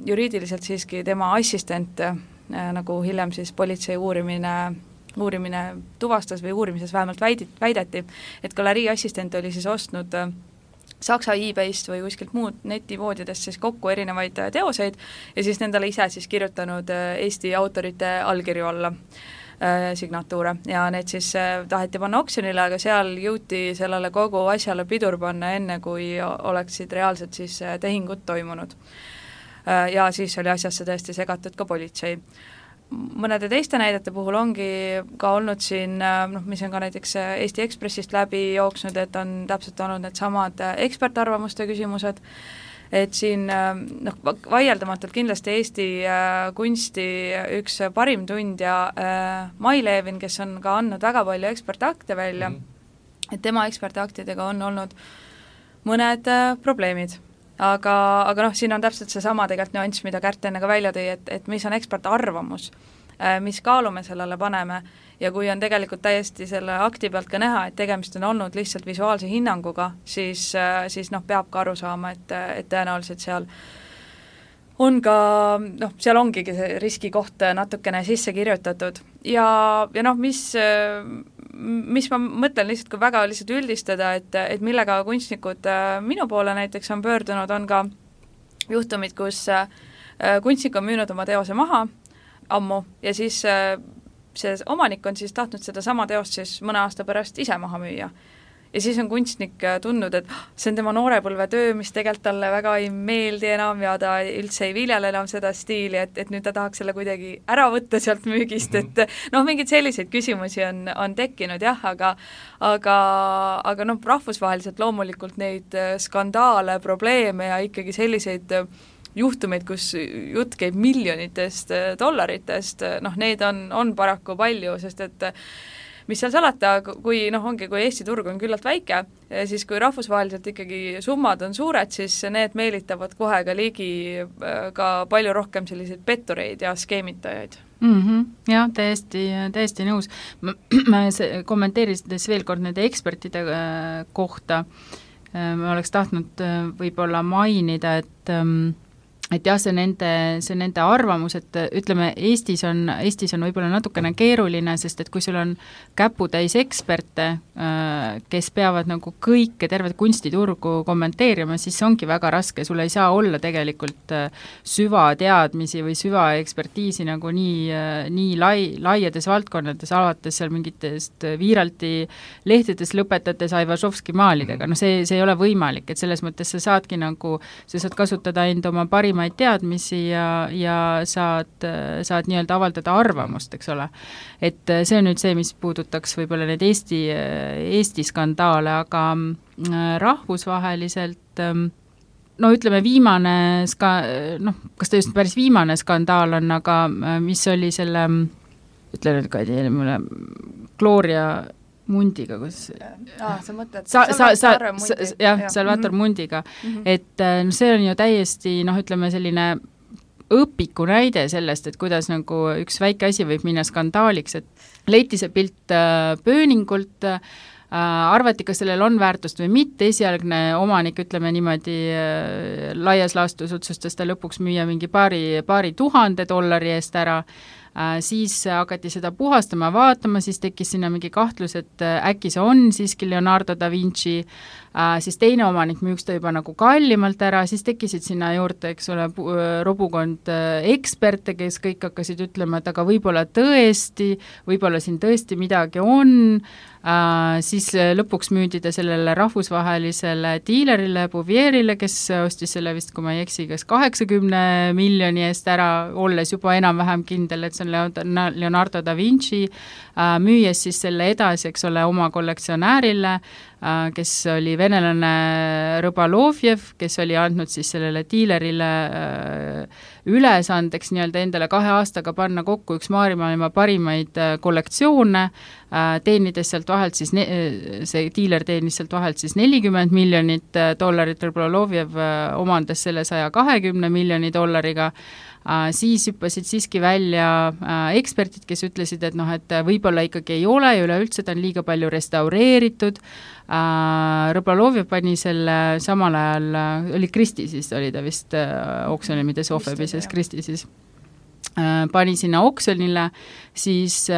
juriidiliselt siiski tema assistent, nagu hiljem siis politsei uurimine tuvastas või uurimises vähemalt väideti, et galerii assistent oli siis ostnud Saksa eBayst või kuskilt muud netivoodidest siis kokku erinevaid teoseid ja siis nendele ise siis kirjutanud Eesti autorite allkirju alla signatuure ja need siis taheti panna oksjonile, aga seal jõuti sellele kogu asjale pidur panna enne, kui oleksid reaalselt siis tehingud toimunud. Ja siis oli asjasse tõesti segatud ka politsei. Mõnede teiste näidete puhul ongi ka olnud siin, mis on ka näiteks Eesti Ekspressist läbi jooksnud, et on täpselt olnud need samad ekspertarvamuste küsimused, et siin vaieldamatult kindlasti Eesti kunsti üks parim tundja Mai Levin, kes on ka andnud väga palju ekspertakte välja, et tema ekspertaktidega on olnud mõned probleemid. Aga siin on täpselt seesama tegelikult nüanss, mida Kärt enne ka välja tõi, et mis on ekspertarvamus, mis kaalu me sellele paneme ja kui on tegelikult täiesti selle akti pealt ka näha, et tegemist on olnud lihtsalt visuaalse hinnanguga, siis peab ka aru saama, et tõenäoliselt seal on ka, seal ongigi see riskikoht natukene sisse kirjutatud ja mis ma mõtlen lihtsalt, kui väga lihtsalt üldistada, et millega kunstnikud minu poole näiteks on pöördunud, on ka juhtumid, kus kunstnik on müünud oma teose maha ammu ja siis see omanik on siis tahtnud seda sama teost siis mõne aasta pärast ise maha müüa. Ja siis on kunstnik tundnud, et see on tema noorepõlve töö, mis tegelikult talle väga ei meeldi enam ja ta üldse ei viljele enam seda stiili, et nüüd ta tahaks selle kuidagi ära võtta sealt müügist, et mingeid selliseid küsimusi on tekkinud jah, aga rahvusvaheliselt loomulikult neid skandaale, probleeme ja ikkagi selliseid juhtumeid, kus jutt käib miljonitest dollaritest, need on paraku palju, sest et mis seal salata, kui Eesti turg on küllalt väike, siis kui rahvusvaheliselt ikkagi summad on suured, siis need meelitavad kohe ka ligi ka palju rohkem selliseid pettureid ja skeemitajaid. Jah, täiesti nõus. Ma kommenteerides veel kord nende ekspertide kohta, ma oleks tahtnud võib-olla mainida, et jah, see nende arvamus, et ütleme, Eestis on võib-olla natukene keeruline, sest et kui sul on käputäis eksperte, kes peavad nagu kõike tervet kunstiturgu kommenteerima, siis see ongi väga raske, sul ei saa olla tegelikult süvateadmisi või süvaekspertiisi nagu nii laiades valdkonnades, alates seal mingitest Viiralti lehtedes lõpetades Aivašovski maalidega, see ei ole võimalik, et selles mõttes sa saad kasutada enda oma parimaid teadmisi ja saad nii-öelda avaldada arvamust, eks ole. Et see on nüüd see, mis puudutaks võib-olla need Eesti skandaale, aga rahvusvaheliselt ütleme viimane kas ta just päris viimane skandaal on, aga mis oli selle, ütle nüüd Kadi, mulle Gloria Mundiga, kus sa mõtled Salvatore Mundi. Jah, Salvatore Mundiga. Et see on ju täiesti, ütleme selline õpiku näide sellest, et kuidas nagu üks väike asi võib minna skandaaliks, et leiti see pilt pööningult, arvati, kas sellel on väärtust või mitte, esialgne omanik, ütleme niimoodi, laias laastus otsustas ta lõpuks müüa mingi paari $1000 eest ära, siis hakati seda puhastama, vaatama, siis tekkis sinna mingi kahtlus, et äkki see on siiski Leonardo da Vinci, siis teine omanik müüks ta juba nagu kallimalt ära, siis tekkisid sinna juurde, eks ole, robukond eksperte, kes kõik hakkasid ütlema, et aga võib-olla siin tõesti midagi on, siis lõpuks müüdi ta sellele rahvusvahelisele diilerile, Bouverile, kes ostis selle vist, kui ma ei eksi, kas 80 miljoni eest ära, olles juba enam-vähem kindel, et see on Leonardo da Vinci, müües siis selle edasi, eks ole, oma kollektsionäärile, kes oli venelane Rõbalovjev, kes oli andnud siis sellele diilerile ülesandeks nii-öelda endale 2 aastaga panna kokku üks maailma parimaid kollektsioone, teenides sealt vahelt siis, see diiler teenis sealt vahelt siis $40 miljonit, Rõbalovjev omandas selle $120 miljoni, siis hüppasid siiski välja eksperdid, kes ütlesid, et et võib-olla ikkagi ei ole ja üleüldse ta on liiga palju restaureeritud. Rõbalovjev pani selle samal ajal, oli Kristi siis, oli ta vist oksjonimides Sotheby's Kristi siis, pani sinna oksjonile, siis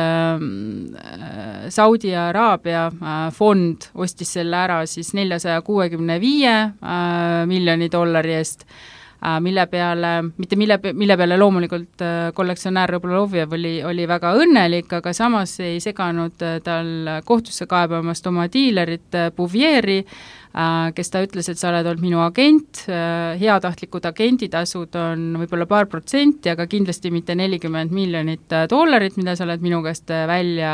Saudi Araabia fond ostis selle ära siis $465 miljoni eest, mille peale loomulikult kollektsionäär Rõbalovjev oli väga õnnelik, aga samas ei seganud tal kohtusse kaebamast oma diilerit Bouvieri, kes ta ütles, et sa oled olnud minu agent, heatahtlikud agenditasud on võib-olla $2%, aga kindlasti mitte $40 miljonit, mida sa oled minu käest välja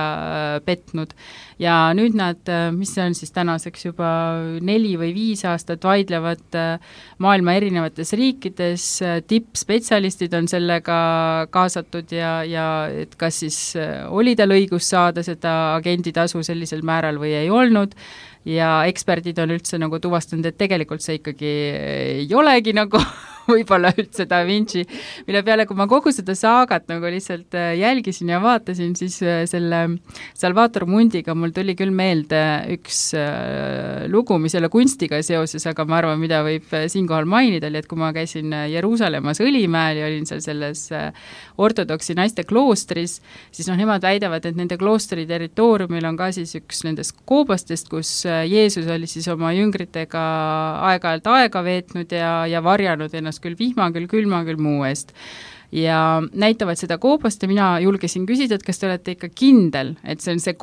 petnud. Ja nüüd nad, mis see on siis tänaseks juba 4 või 5 aastat vaidlevad maailma erinevates riikides, tippspetsialistid on sellega kaasatud ja et kas siis oli tal õigus saada seda agenditasu sellisel määral või ei olnud, ja eksperdid on üldse nagu tuvastanud, et tegelikult see ikkagi ei olegi nagu võib-olla üldse Da Vinci, mille peale, kui ma kogu seda saagat nagu lihtsalt jälgisin ja vaatasin, siis selle Salvator Mundiga mul tuli küll meelde üks lugu, mis jälle kunstiga seoses, aga ma arvan, mida võib siinkohal mainida, oli, et kui ma käisin Jeruusalemmas Õlimäel ja olin seal selles ortodoksi naiste kloostris, siis nemad väidavad, et nende kloostri territooriumil on ka siis üks nendest koobastest, kus Jeesus oli siis oma jüngritega aeg-ajalt aega veetnud ja varjanud ennast küll vihma, küll külma, küll muu eest. Ja näitavad seda koobast ja mina julgesin küsida, et kas te olete ikka kindel, et see on see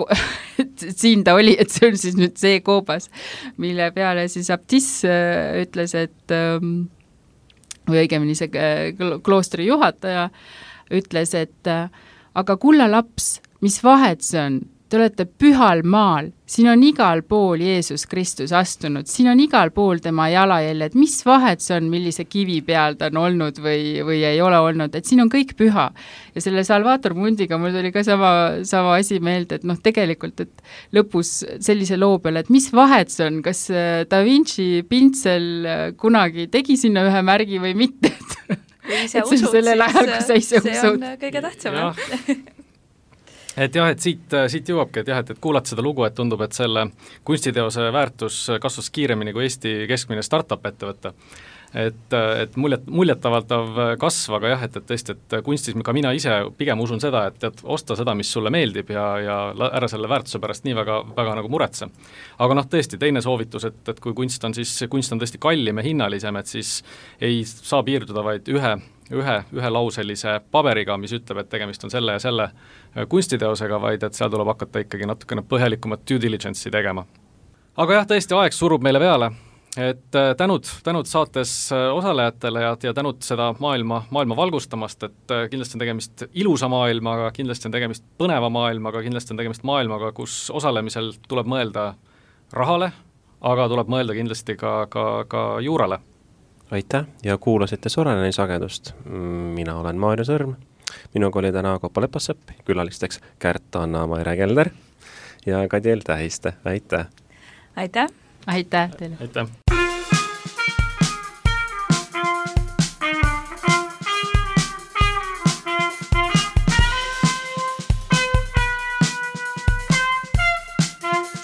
et siin ta oli, et see on siis nüüd see koobas, mille peale siis abtiss ütles, et või õigemini see kloostri juhataja ütles, et aga kulla laps, mis vahet see on? Te olete pühal maal, siin on igal pool Jeesus Kristus astunud, siin on igal pool tema jalajäljed, mis vahet see on, millise kivi peal ta on olnud või ei ole olnud, et siin on kõik püha. Ja selle Salvator Mundiga mul tuli ka sama asi meelde, et tegelikult, et lõpus sellise loo peale, et mis vahet see on, kas Da Vinci pintsel kunagi tegi sinna ühe märgi või mitte, kui ise usud, siis see on kõige tähtsam. Et siit jõuabki, et kuulad seda lugu, et tundub, et selle kunstiteose väärtus kasvas kiiremini kui Eesti keskmine startup ettevõte. Et muljetavaldav kasv, aga et tõesti, et kunstis ka mina ise pigem usun seda, et osta seda, mis sulle meeldib ja ära selle väärtuse pärast nii väga nagu muretse. Aga tõesti, teine soovitus, et kui kunst on tõesti kallim ja hinnalisem, et siis ei saa piirduda vaid ühe lauselise paberiga, mis ütleb, et tegemist on selle ja selle kunstiteosega, vaid et seal tuleb hakata ikkagi natukene põhjalikumat due diligence'i tegema. Aga tõesti, aeg surub meile peale, et tänud saates osalejatele ja tänud seda maailma valgustamast, et kindlasti on tegemist ilusa maailmaga, kindlasti on tegemist põneva maailmaga, kindlasti on tegemist maailmaga, kus osalemisel tuleb mõelda rahale, aga tuleb mõelda kindlasti ka juurale. Aitäh ja kuulasite Soraineni sagedust. Mina olen Maarja Sõrm. Minuga oli täna Kopa Lepassepp, külalisteks Kärt Anna-Maire Kelder ja Kadiel Tähiste. Aitäh! Aitäh! Aitäh teile! Aitäh!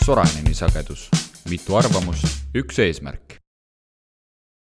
Soraineni sagedus. Mitu arvamust, üks eesmärk.